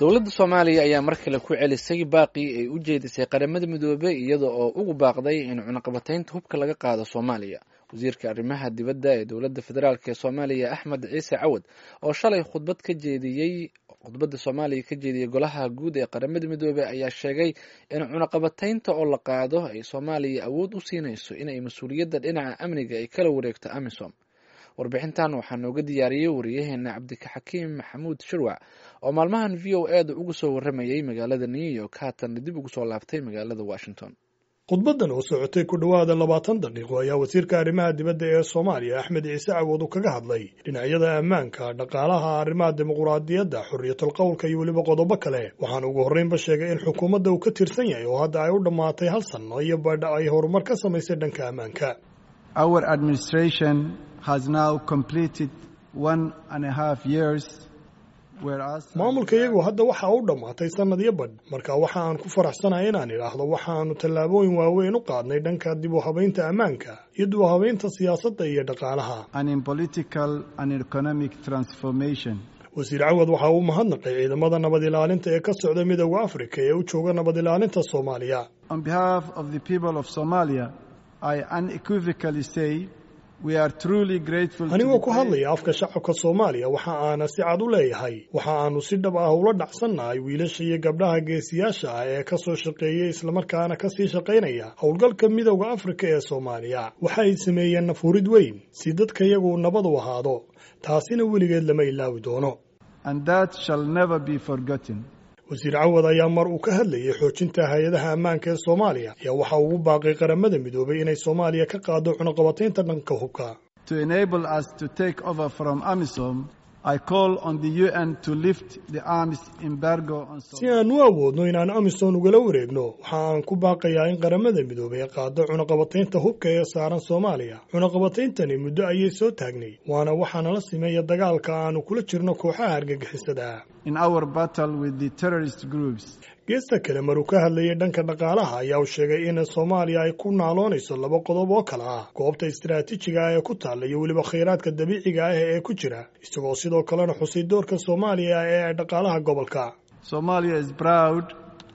Dowladda Soomaaliya ayaa mar kale ku celisay baaqii ay u jeedisay Qaramada Midoobey, iyada oo ugu baaqday in cunaqabataynta hubka laga qaado Soomaaliya. Wasiirka arrimaha dibadda ee dowladda federaalk ee Soomaaliya, Axmed Ciise Cawad, oo shalay khudbad ka jeediyey khudbadda Soomaaliya ka jeediyey Golaha Guud ee Qaramada Midoobey, ayaa sheegay in cunaqabataynta oo la qaado ay Soomaaliya awood u siinayso inay mas-uuliyadda dhinaca amniga ay kala wareegto AMISOM. Warbixintan waxaa nooga diyaariyey wariyaheena Cabdixakiim Maxamuud Shirwac, oo maalmahan VOA da uga soo waramayay magaalada New York, haatanna dib ugu soo laabtay magaalada Washington. Khudbaddan oo socotay ku dhowaada 20 daqiiqo ayaa wasiirka arrimaha dibadda ee Soomaaliya, Axmed Ciise Cawad, uu kaga hadlay dhinacyada ammaanka, dhaqaalaha, arrimaha dimuquraadiyadda, xorriyatul qowlka iyo weliba qodobo kale. Waxaana ugu horreynba sheegay in xukuumadda uu ka tirsan yahay oo hadda ay u dhammaatay hal sanno iyo badha ay horumar ka samaysay dhanka ammaanka. Our administration has now completed 1.5 years. Maamulka iyagu hadda waxa u dhammaatay sannad iyo badh. Marka waxa aan ku faraxsanahay inaan idhaahdo waxaannu tallaabooyin waaweyn u qaadnay dhanka dib u habaynta ammaanka iyo dib u habaynta siyaasadda iyo dhaqaalaha. Wasiir Cawad waxa uu mahadnaqay ciidamada nabad ilaalinta ee ka socda Midowda Afrika ee u jooga nabad ilaalinta Soomaaliya. On behalf of the people of Somalia, I unequivocally say we are truly grateful. Anigoo ku hadlaya afka shacabka Soomaaliya, waxa aana si cad u leeyahay waxa aanu si dhab ah ula dhacsannahay wiilasha iyo gabdhaha geesiyaasha ah ee ka soo shaqeeyey islamarkaana ka sii shaqaynaya howlgalka Midowda Afrika ee Soomaaliya. Waxa ay sameeyeen nafurid weyn si dadka iyagu nabad u ahaado, taasina weligeed lama ilaawi doono. And that shall never be forgotten. Wasiir Cawad ayaa mar uu ka hadlayay xoojinta hay-adaha ammaanka ee Soomaaliya ayaa waxa ugu baaqay Qaramada Midoobay inay Soomaaliya ka qaado cunaqabataynta dhanka hubka. To enable us to take over from AMISOM, I call on the UN to lift the arms embargo on Si aan u awoodno inaan AMISOM ugala wareegno, waxa aan ku baaqayaa in Qaramada Midoobay qaado cunaqabataynta hubka ee saaran Soomaaliya. Cunaqabatayntani muddo ayay soo taagnay, waana waxaana la simeeya dagaalka aanu kula jirno kooxaha argagixisada. In our battle with the terrorist groups. Geesta kale, maruu ka hadlayay dhanka dhaqaalaha ayaa uu sheegay in Soomaaliya ay ku naaloonayso laba qodob oo kale ah: goobta istaraatiijiga ah ee ku taalla iyo weliba khayraadka dabiiciga ah ee ku jira, isagoo sidoo kalena xusay doorka Soomaaliya ee dhaqaalaha gobolka. Somalia is proud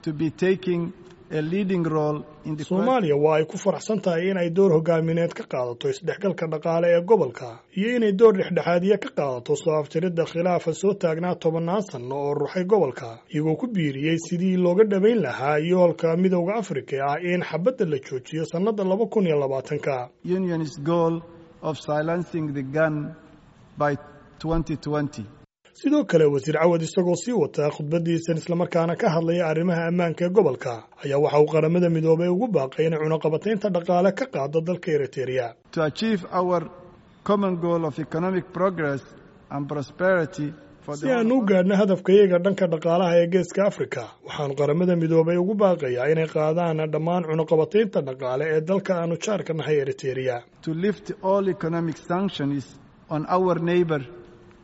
to be taking a leading role in the Soomaaliya waa ay ku faraxsan tahay in ay door hogaamineed ka qaadato isdhexgalka dhaqaale ee gobolka iyo inay door dhexdhexaadiye ka qaadato soo afjaridda khilaafa soo taagnaa tobannaan sanno oo ruxay gobolka, iyagoo ku biiriyey sidii looga dhabayn lahaa yoolka Midowda Afrika ah in xabadda la joojiyo sannadda 2020-ka. Union's goal of silencing the gun by 2020. Sidoo kale, wasiir Cawad isagoo sii wataa khudbadiisan islamarkaana ka hadlaya arrimaha ammaanka ee gobolka ayaa waxa uu Qaramada Midoobay ugu baaqay inay cunaqabataynta dhaqaale ka qaado dalka Eritereya. To achieve our common goal of economic progress and prosperity. Si aan u gaadhno hadafkayaga dhanka dhaqaalaha ee Geeska Afrika, waxaanu Qaramada Midoobay ugu baaqayaa inay qaadaan dhammaan cunaqabataynta dhaqaale ee dalka aanu jaarka nahay, Eritereya. To lift all economic sanctions on our neighbor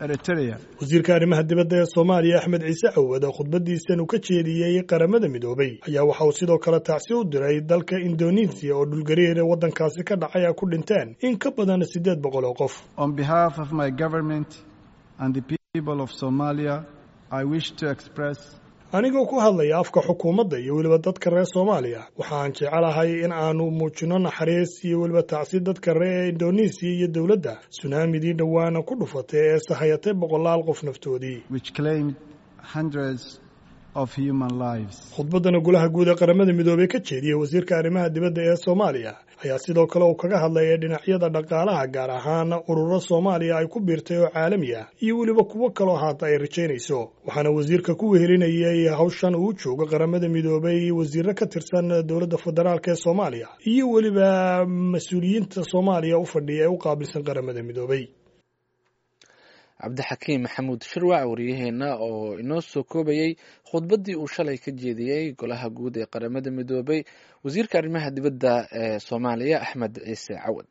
Eritrea. Wasiirka arrimaha dibadda ee Soomaaliya, Axmed Ciise Cawad, oo khudbadiisan uu ka jeediyey Qaramada Midoobay ayaa waxa uu sidoo kale tacsi u diray dalka Indonesiya oo dhulgariir waddankaasi ka dhacay ay ku dhinteen in ka badan 800 oo qof. On behalf of my government and the people of Somalia, I wish to express Anigoo ku hadlaya afka xukuumadda iyo weliba dadka reer Soomaaliya, waxaan jecelahay in aanu muujinno naxariis iyo weliba tacsi dadka reer Indonesiya iyo dowladda sunaamidii dhowaana ku dhufatay ee sahayatay boqolaal qof naftoodii. which claimed hundreds of human lives. Khudbaddana Golaha Guud ee Qaramada Midoobey ka jeediyey wasiirka arrimaha dibadda ee Soomaaliya ayaa sidoo kale uu kaga hadlayay dhinacyada dhaqaalaha, gaar ahaan ururo Soomaaliya ay ku biirtay oo caalami ah iyo weliba kuwo kaloo haata ay rajaynayso. Waxaana wasiirka ku wehelinayay hawshan uu joogo Qaramada Midoobey wasiirro ka tirsan dowladda federaalk ee Soomaaliya iyo weliba mas-uuliyiinta Soomaaliya u fadhiya ee u qaabilsan Qaramada Midoobey. Cabdixakiim Maxamuud Shirwac, wariyaheenna oo inoo soo koobayey khudbaddii uu shalay ka jeediyey Golaha Guud ee Qaramada Midoobay wasiirka arrimaha dibadda ee Soomaaliya, Axmed Ciise Cawad.